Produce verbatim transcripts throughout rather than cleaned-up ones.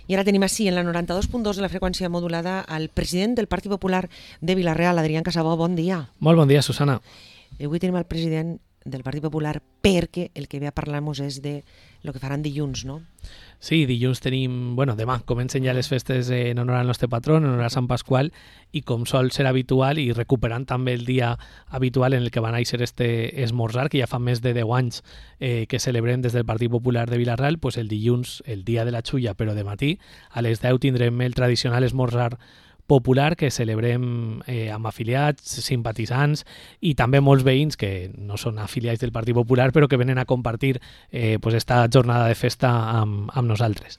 I ara tenim així, en la noranta-dos punt dos de la freqüència modulada, el president del Partit Popular de Vila-real, Adrián Casabó. Bon dia. Molt bon dia, Susana. I avui tenim el president del Partit Popular perquè el que ve a parlar-nos és de el que faran dilluns, no? Sí, dilluns tenim... Bueno, demà comencen ja les festes en honor al nostre patró, en honor a Sant Pasqual, i com sol ser habitual, i recuperant també el dia habitual en el que va néixer este esmorzar, que ja fa més de deu anys eh, que celebrem des del Partit Popular de Vila-real, pues el dilluns, el dia de la xulla, però de matí, a les deu tindrem el tradicional esmorzar popular que celebrem eh, amb afiliats, simpatitzants i també molts veïns que no són afiliats del Partit Popular però que venen a compartir eh, pues esta jornada de festa amb, amb nosaltres.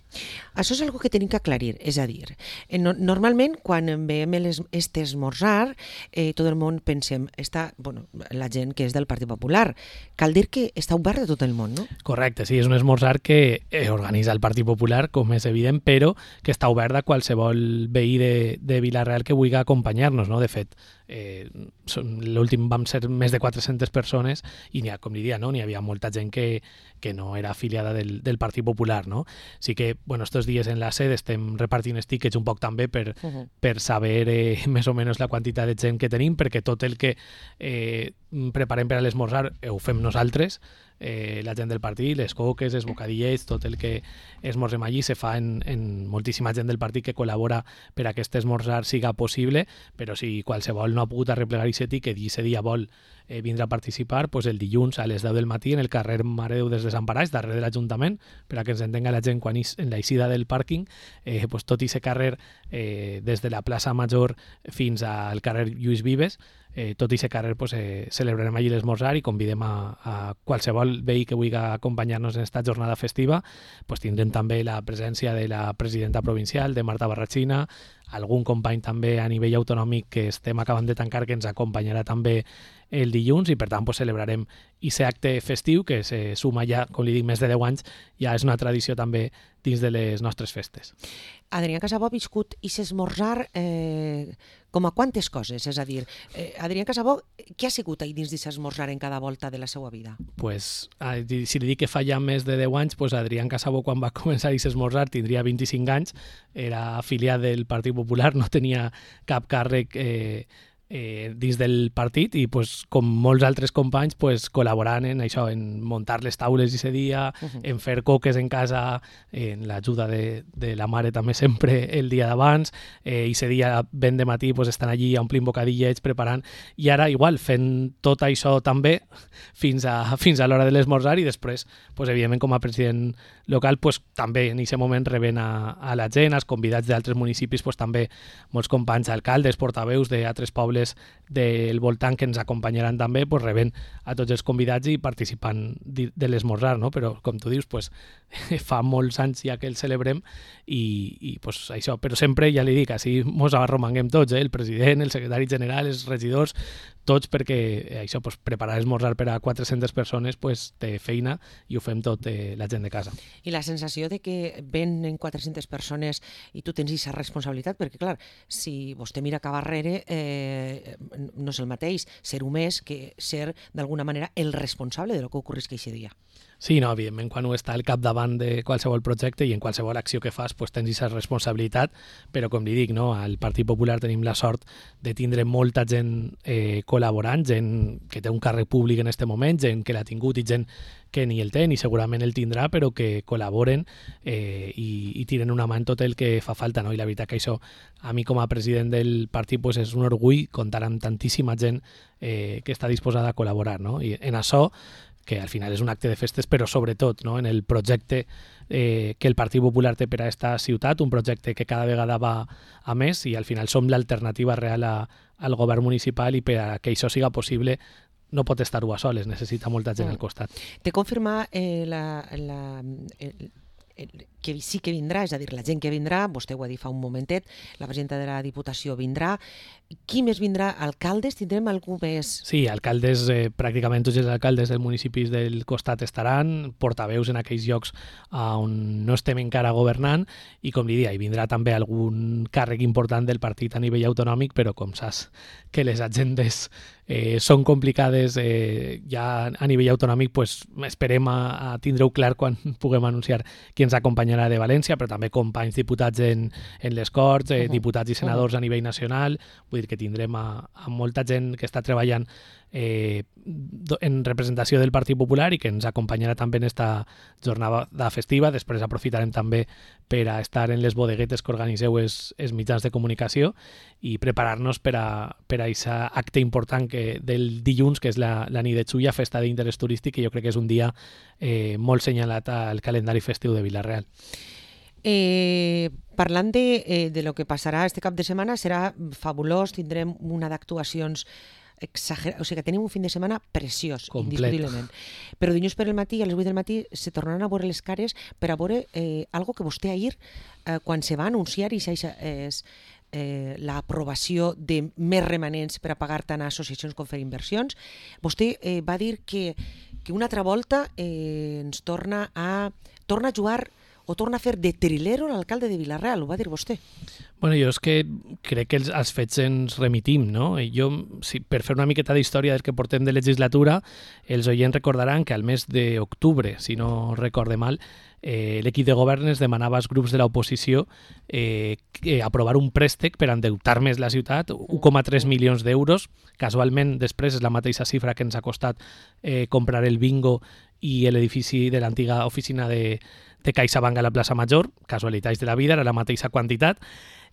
Això és una que tenim que aclarir, és a dir, eh, no, normalment quan veiem les, este esmorzar, eh, tot el món pensem, està, bueno, la gent que és del Partit Popular, cal dir que està obert de tot el món, no? Correcte, sí, és un esmorzar que eh, organitza el Partit Popular, com és evident, però que està obert a qualsevol veí de, de de Vila-real que vulgui acompanyar-nos, no? De fet, eh, l'últim vam ser més de quatre-centes persones i n'hi ha, com diria, no? N'hi havia molta gent que, que no era afiliada del, del Partit Popular, no? Sí que, bueno, estos dies en la sede estem repartint tickets un poc també per, uh -huh. per saber eh, més o menys la quantitat de gent que tenim, perquè tot el que eh, preparem per a l'esmorzar eh, ho fem nosaltres, eh, la gent del partit, les coques, els bocadillets, tot el que esmorzem allí se fa en, en moltíssima gent del partit que col·labora per a que aquest esmorzar siga possible, però si qualsevol no ha pogut arreplegar aquest tiquet i aquest dia vol eh, vindre a participar, pues el dilluns a les deu del matí en el carrer Mare de Déu dels Desemparats, darrere de l'Ajuntament, per a que ens entenga la gent quan és en la eixida del pàrquing, eh, pues tot aquest carrer eh, des de la plaça Major fins al carrer Lluís Vives, Eh, tot i aquest carrer pues, eh, celebrarem allí l'esmorzar i convidem a, a qualsevol veí que vulgui acompanyar-nos en esta jornada festiva. Pues tindrem també la presència de la presidenta provincial, de Marta Barrachina, algun company també a nivell autonòmic que estem acabant de tancar que ens acompanyarà també el dilluns i per tant pues, celebrarem aquest acte festiu que se suma ja, com li dic, més de deu anys, ja és una tradició també dins de les nostres festes. Adrián Casabó ha viscut i s'esmorzar eh, com a quantes coses? És a dir, eh, Adrián Casabó, què ha sigut ahir dins d'aquest esmorzar en cada volta de la seva vida? Pues, si li dic que fa ja més de deu anys, pues Adrián Casabó quan va començar aquest esmorzar tindria vint-i-cinc anys, era afiliat del Partit Popular, no tenia cap càrrec eh, eh, dins del partit i pues, com molts altres companys pues, col·laborant en això, en muntar les taules aquest dia, uh -huh. en fer coques en casa, en l'ajuda de, de la mare també sempre el dia d'abans, eh, i aquest dia ben de matí pues, estan allí omplint bocadillets, preparant, i ara igual fent tot això també fins a, fins a l'hora de l'esmorzar i després, pues, evidentment com a president local pues, també en aquest moment rebent a, a la gent, als convidats d'altres municipis, pues, també molts companys, alcaldes, portaveus d'altres pobles del voltant que ens acompanyaran també, pues, rebent a tots els convidats i participant de l'esmorzar, no? Però com tu dius, pues, fa molts anys ja que el celebrem i, i pues, això, però sempre, ja li dic, així mos arromanguem tots, eh? El president, el secretari general, els regidors, tots perquè això, pues, preparar esmorzar per a quatre-centes persones pues, té feina i ho fem tot eh, la gent de casa. I la sensació de que venen quatre-centes persones i tu tens aquesta responsabilitat, perquè clar, si vostè mira cap darrere eh, no és el mateix ser un més que ser d'alguna manera el responsable de lo que ocorrisca aquest dia. Sí, no, evidentment, quan ho està al capdavant de qualsevol projecte i en qualsevol acció que fas pues, tens aquesta responsabilitat, però com li dic, no, al Partit Popular tenim la sort de tindre molta gent eh, col·laborant, gent que té un càrrec públic en aquest moment, gent que l'ha tingut i gent que ni el té ni segurament el tindrà, però que col·laboren eh, i, i tiren una mà en tot el que fa falta, no? I la veritat que això, a mi com a president del partit pues, és un orgull comptar amb tantíssima gent eh, que està disposada a col·laborar, no? I en això que al final és un acte de festes, però sobretot no? En el projecte eh, que el Partit Popular té per a aquesta ciutat, un projecte que cada vegada va a més i al final som l'alternativa real a, al govern municipal i per a que això siga possible no pot estar-ho a soles, necessita molta gent al costat. Te confirma eh, la, la, el, el, que sí que vindrà, és a dir, la gent que vindrà, vostè ho ha dit fa un momentet, la presidenta de la Diputació vindrà. Qui més vindrà? Alcaldes? Tindrem algú més? Sí, alcaldes, eh, pràcticament tots els alcaldes dels municipis del costat estaran, portaveus en aquells llocs on no estem encara governant i, com li dia, hi vindrà també algun càrrec important del partit a nivell autonòmic, però com saps que les agendes eh, són complicades eh, ja a nivell autonòmic, pues, esperem a, a tindre-ho clar quan puguem anunciar qui ens acompanyarà de València, però també companys diputats en, en les Corts, eh, uh -huh. diputats i senadors uh -huh. a nivell nacional, vull dir que tindrem a, a molta gent que està treballant eh, en representació del Partit Popular i que ens acompanyarà també en esta jornada festiva. Després aprofitarem també per a estar en les bodeguetes que organitzeu els, els mitjans de comunicació i preparar-nos per a per a aquest acte important que, del dilluns, que és la, la nit de Xulla, festa d'interès turístic, que jo crec que és un dia eh, molt senyalat al calendari festiu de Vila-real. Eh, parlant de, eh, de lo que passarà este cap de setmana, serà fabulós, tindrem una d'actuacions exagerat, o sigui que tenim un fin de setmana preciós, complet, indiscutiblement. Però dilluns per el matí, a les vuit del matí, se tornaran a veure les cares per a veure eh, algo que vostè ahir, eh, quan se va anunciar, i això és eh, l'aprovació de més remanents per a pagar tant a associacions com fer inversions, vostè eh, va dir que, que una altra volta eh, ens torna a, torna a jugar o torna a fer de trilero l'alcalde de Vila-real, ho va dir vostè. Bueno, jo és que crec que els, els fets ens remitim, no? Jo, si, per fer una miqueta d'història del que portem de legislatura, els oients recordaran que al mes d'octubre, si no recorde mal, eh, l'equip de govern es demanava als grups de l'oposició eh, aprovar un préstec per endeutar més la ciutat, un coma tres milions d'euros. Casualment, després és la mateixa xifra que ens ha costat eh, comprar el bingo i l'edifici de l'antiga oficina de de CaixaBank a la plaça Major, casualitats de la vida, era la mateixa quantitat,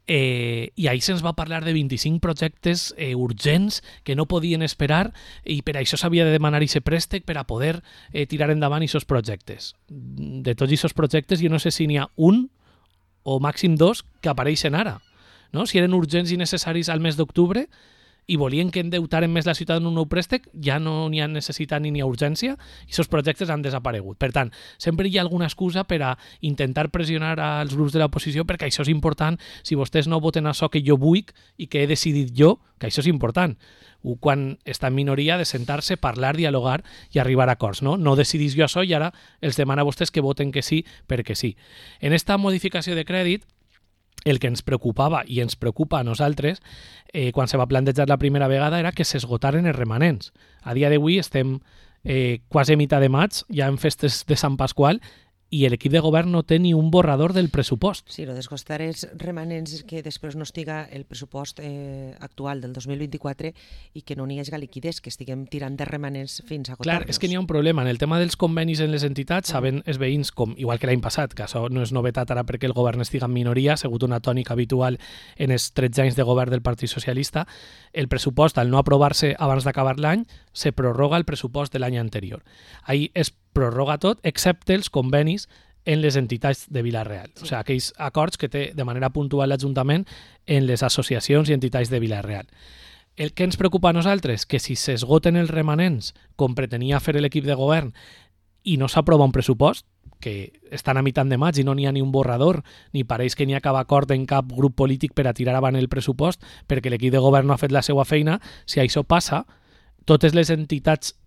eh, i ahir se'ns va parlar de vint-i-cinc projectes eh, urgents que no podien esperar i per això s'havia de demanar aquest préstec per a poder eh, tirar endavant aquests projectes. De tots aquests projectes jo no sé si n'hi ha un o màxim dos que apareixen ara, no? Si eren urgents i necessaris al mes d'octubre i volien que endeutaren més la ciutat en un nou préstec, ja no n'hi ha necessitat ni n'hi ha urgència, i aquests projectes han desaparegut. Per tant, sempre hi ha alguna excusa per a intentar pressionar als grups de l'oposició perquè això és important, si vostès no voten això que jo vull i que he decidit jo, que això és important. Quan està en minoria, de sentar-se, parlar, dialogar i arribar a acords. No, no decidís jo això i ara els demana a vostès que voten que sí perquè sí. En esta modificació de crèdit, el que ens preocupava i ens preocupa a nosaltres eh, quan se va plantejar la primera vegada era que s'esgotaren els remanents. A dia d'avui estem eh, quasi a mitjà de maig, ja en festes de Sant Pasqual, i l'equip de govern no té ni un borrador del pressupost. Sí, lo descostar els remanents és que després no estiga el pressupost eh, actual del dos mil vint-i-quatre i que no n'hi hagi liquiditat, que estiguem tirant de remanents fins a agotar-los. Clar, és que n'hi ha un problema. En el tema dels convenis en les entitats, mm. saben els veïns, com igual que l'any passat, que això no és novetat ara perquè el govern estiga en minoria, ha sigut una tònica habitual en els tretze anys de govern del Partit Socialista, el pressupost, al no aprovar-se abans d'acabar l'any, se prorroga el pressupost de l'any anterior. Ahir es prorroga tot, excepte els convenis en les entitats de Vila-real. Sí. O sigui, aquells acords que té de manera puntual l'Ajuntament en les associacions i entitats de Vila-real. El que ens preocupa a nosaltres, que si s'esgoten els remanents, com pretenia fer l'equip de govern, i no s'aprova un pressupost, que estan a mitjan de maig i no n'hi ha ni un borrador, ni pareix que n'hi ha cap acord en cap grup polític per a tirar avant el pressupost, perquè l'equip de govern no ha fet la seva feina, si això passa, totes les entitats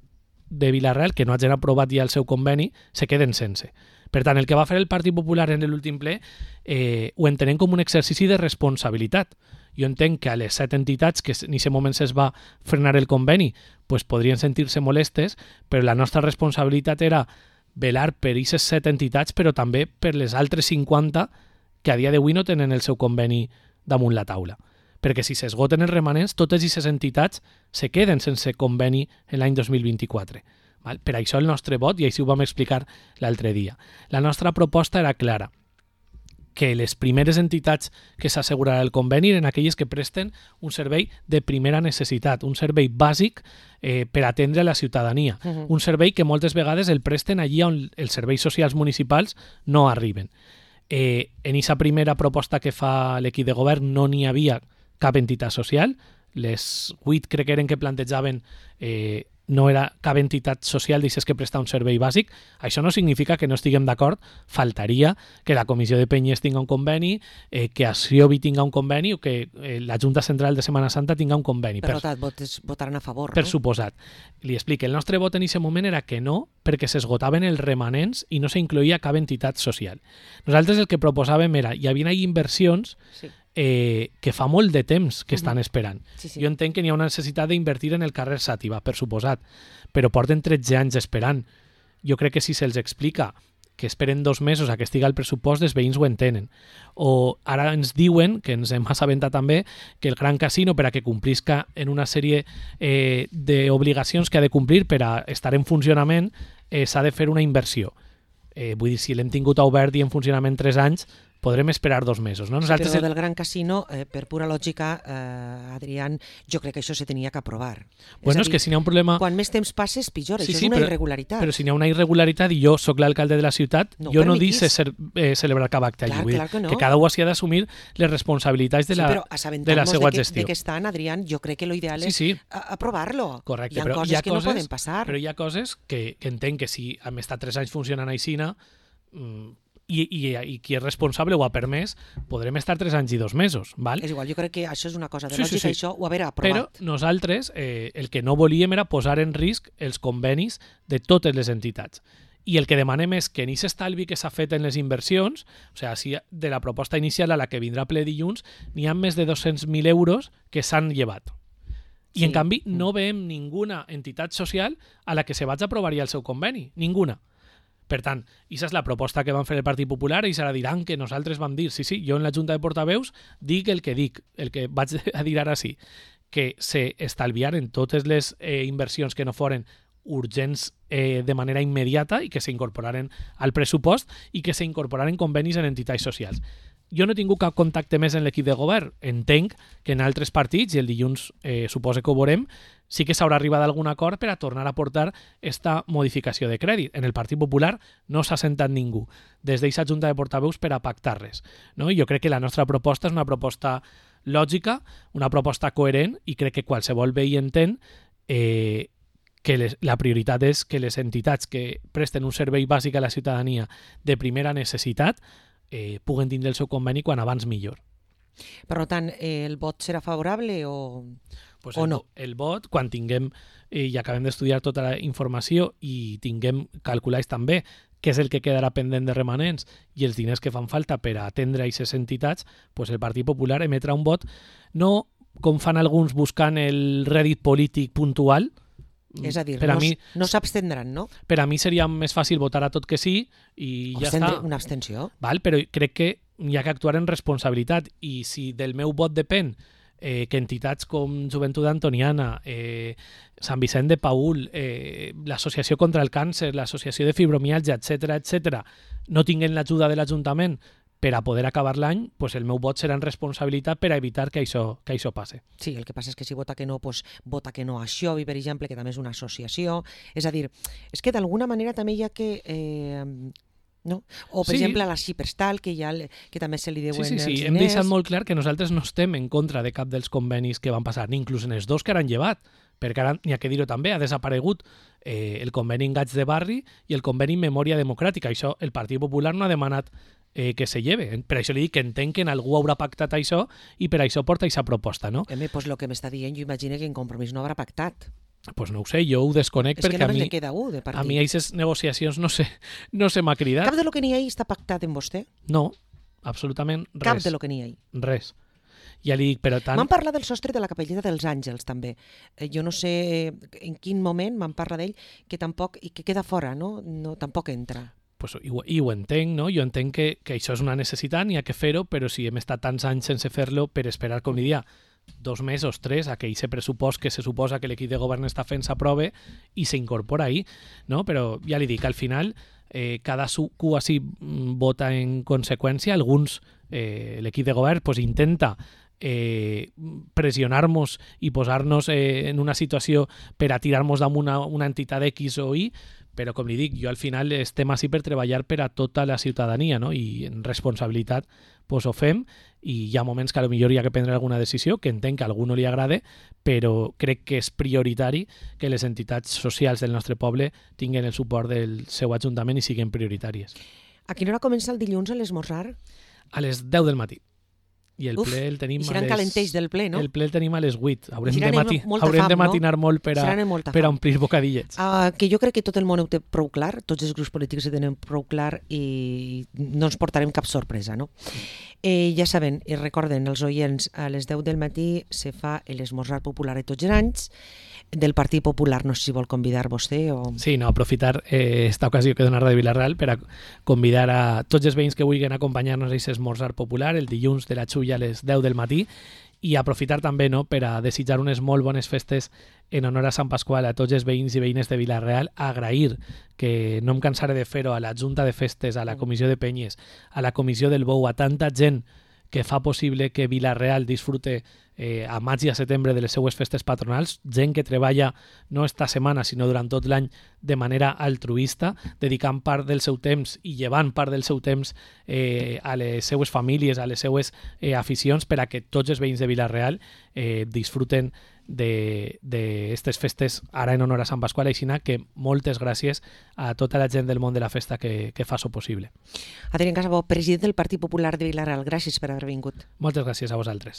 de Vila-real que no hagin aprovat ja el seu conveni se queden sense. Per tant, el que va fer el Partit Popular en l'últim ple eh, ho entenem com un exercici de responsabilitat. Jo entenc que a les set entitats que en aquest moment es va frenar el conveni pues podrien sentir-se molestes, però la nostra responsabilitat era velar per aquestes set entitats, però també per les altres cinquanta que a dia d'avui no tenen el seu conveni damunt la taula. Perquè si s'esgoten els remanents, totes aquestes entitats se queden sense conveni en l'any dos mil vint-i-quatre. Val? Per això el nostre vot, i així ho vam explicar l'altre dia. La nostra proposta era clara, que les primeres entitats que s'assegurarà el conveni eren aquelles que presten un servei de primera necessitat, un servei bàsic eh, per atendre la ciutadania, uh-huh. un servei que moltes vegades el presten allí on els serveis socials municipals no arriben. Eh, en aquesta primera proposta que fa l'equip de govern no n'hi havia cap entitat social, les vuit crec que eren que plantejaven eh, no era cap entitat social d'aixes que presta un servei bàsic. Això no significa que no estiguem d'acord, faltaria que la Comissió de Penyes tinga un conveni, eh, que Asiobi tinga un conveni o que eh, la Junta Central de Setmana Santa tinga un conveni. Per, per tant, votaran a favor, per no? Suposat. Li explico, el nostre vot en aquest moment era que no, perquè s'esgotaven els remanents i no s'incloïa cap entitat social. Nosaltres el que proposàvem era, hi havia inversions sí. eh, que fa molt de temps que estan esperant. Sí, sí. Jo entenc que n'hi ha una necessitat d'invertir en el carrer Xàtiva, per suposat, però porten tretze anys esperant. Jo crec que si se'ls explica que esperen dos mesos a que estigui el pressupost, els veïns ho entenen. O ara ens diuen, que ens hem assabentat també, que el Gran Casino, per a que complisca en una sèrie eh, d'obligacions que ha de complir per a estar en funcionament, eh, s'ha de fer una inversió. Eh, vull dir, si l'hem tingut obert i en funcionament tres anys, podrem esperar dos mesos. No? Nosaltres... Però del Gran Casino, eh, per pura lògica, eh, Adrián, jo crec que això se tenia que aprovar. Bueno, és, és dir, que si n'hi ha un problema... Quan més temps passes, pitjor. Sí, això sí, és una però, irregularitat. Però si n'hi ha una irregularitat i jo sóc l'alcalde de la ciutat, no jo no dic ser, eh, celebrar cap acte clar, allí. Vull clar que, dir, no. que cada un s'hi ha d'assumir les responsabilitats de la, sí, de la seva de que, gestió. de que estan, Adrián, jo crec que l'ideal és sí, sí. aprovar-lo. Correcte, hi ha però coses hi ha que coses, no poden passar. Però hi ha coses que, que entenc que si hem estat tres anys funcionant aixina, mmm, I, i, i qui és responsable ho ha permès, podrem estar tres anys i dos mesos. Val? És igual, jo crec que això és una cosa de sí, lògica, sí, sí. això ho haver aprovat. Però nosaltres eh, el que no volíem era posar en risc els convenis de totes les entitats. I el que demanem és que en aquest estalvi que s'ha fet en les inversions, o sigui, si de la proposta inicial a la que vindrà ple dilluns, n'hi ha més de dos-cents mil euros que s'han llevat. I sí. En canvi no veiem ninguna entitat social a la que se vaig aprovar-hi el seu conveni. Ninguna. Per tant, aquesta és la proposta que van fer el Partit Popular i s'ara diran que nosaltres vam dir, sí, sí, jo en la Junta de Portaveus dic el que dic, el que vaig a dir ara sí, que se estalviaren totes les eh, inversions que no foren urgents eh, de manera immediata i que s'incorporaren al pressupost i que s'incorporaren convenis en entitats socials. Jo no he tingut cap contacte més en l'equip de govern. Entenc que en altres partits, i el dilluns eh, suposo que ho veurem, sí que s'haurà arribat a algun acord per a tornar a portar esta modificació de crèdit. En el Partit Popular no s'ha sentat ningú des d'aquesta Junta de Portaveus per a pactar res. No? I jo crec que la nostra proposta és una proposta lògica, una proposta coherent, i crec que qualsevol veí entén eh, que les, la prioritat és que les entitats que presten un servei bàsic a la ciutadania de primera necessitat eh, puguen tindre el seu conveni quan abans millor. Per tant, eh, el vot serà favorable o, pues o el, no? El vot, quan tinguem eh, i acabem d'estudiar tota la informació i tinguem calculats també què és el que quedarà pendent de remanents i els diners que fan falta per a atendre aquestes entitats, pues el Partit Popular emetrà un vot no com fan alguns buscant el rèdit polític puntual. És a dir, per no, a mi, no s'abstendran, no? Per a mi seria més fàcil votar a tot que sí i ja Abstendre, està. Una abstenció. Val? Però crec que hi ha que actuar en responsabilitat i si del meu vot depèn eh, que entitats com Joventut Antoniana, eh, Sant Vicent de Paül, eh, l'Associació contra el Càncer, l'Associació de Fibromialgia, etcètera, etcètera, no tinguin l'ajuda de l'Ajuntament per a poder acabar l'any, pues el meu vot serà en responsabilitat per a evitar que això, que això passe. Sí, el que passa és que si vota que no, pues, vota que no a Xovi, per exemple, que també és una associació. És a dir, és que d'alguna manera també hi ha que... Eh, no? O, per sí. exemple, a la Xiperstal, que, ja, que també se li deuen sí, sí, sí. els diners. Hem deixat molt clar que nosaltres no estem en contra de cap dels convenis que van passar, ni inclús en els dos que han llevat, perquè ara n'hi ha que dir-ho també, ha desaparegut eh, el conveni en Gats de Barri i el conveni en Memòria Democràtica. Això el Partit Popular no ha demanat eh, que se lleve. Per això li dic que entenc que en algú haurà pactat això i per això porta aquesta proposta, no? Home, pues lo que m'està dient, jo imagino que en Compromís no haurà pactat. Pues no ho sé, jo ho desconec és perquè a mi, le queda un de a mi aquestes negociacions no sé, no se m'ha cridat. Cap de lo que n'hi ha està pactat amb vostè? No, absolutament res. Cap de lo que n'hi ha. Res. Ja li dic, però tant... M'han parlat del sostre de la Capelleta dels Àngels, també. Eh, jo no sé en quin moment m'han parlat d'ell, que tampoc, i que queda fora, no? no tampoc entra. Pues, i, ho, I ho entenc, no? Jo entenc que, que això és una necessitat, n'hi ha que fer-ho, però si hem estat tants anys sense fer-lo per esperar, com diria, dos mesos, tres, a que aquest pressupost que se suposa que l'equip de govern està fent s'aprove i s'incorpora ahí, no? Però ja li dic, al final eh, cada cadascú així vota en conseqüència, alguns, eh, l'equip de govern pues, intenta eh, pressionar-nos i posar-nos eh, en una situació per a tirar-nos damunt una, una entitat X o Y, però com li dic, jo al final estem així per treballar per a tota la ciutadania, no? I en responsabilitat pues, ho fem i hi ha moments que potser hi ha que prendre alguna decisió, que entenc que a algú no li agrade, però crec que és prioritari que les entitats socials del nostre poble tinguin el suport del seu ajuntament i siguin prioritàries. A quina hora comença el dilluns a l'esmorzar? A les deu del matí. I el Uf, ple el tenim i seran a les... calenteix del ple, no? El ple el tenim a les vuit. Haurem, de, mati... Haurem fam, de matinar no? molt per a, per a omplir bocadillets. Uh, que jo crec que tot el món ho té prou clar, tots els grups polítics ho tenen prou clar i no ens portarem cap sorpresa, no? Eh, ja saben, i recorden els oients, a les deu del matí se fa l'esmorzar popular de tots els anys, del Partit Popular, no sé si vol convidar vostè o... Sí, no, aprofitar eh, esta ocasió que dona Ràdio Vila-real per a convidar a tots els veïns que vulguin acompanyar-nos a aquest esmorzar popular el dilluns de la Xulla a les deu del matí, i aprofitar també, no, per a desitjar unes molt bones festes en honor a Sant Pasqual a tots els veïns i veïnes de Vila-real, agrair, que no em cansaré de fer-ho, a la Junta de Festes, a la Comissió de Penyes, a la Comissió del Bou, a tanta gent que fa possible que Vila-real disfrute eh, a maig i a setembre de les seues festes patronals, gent que treballa no esta setmana sinó durant tot l'any de manera altruista, dedicant part del seu temps i llevant part del seu temps eh, a les seues famílies, a les seues eh, aficions, per a que tots els veïns de Vila-real eh, disfruten d'aquestes festes ara en honor a Sant Pasqual. Així que moltes gràcies a tota la gent del món de la festa que, que fa això possible. Adrián Casabó, president del Partit Popular de Vila-real, gràcies per haver vingut. Moltes gràcies a vosaltres.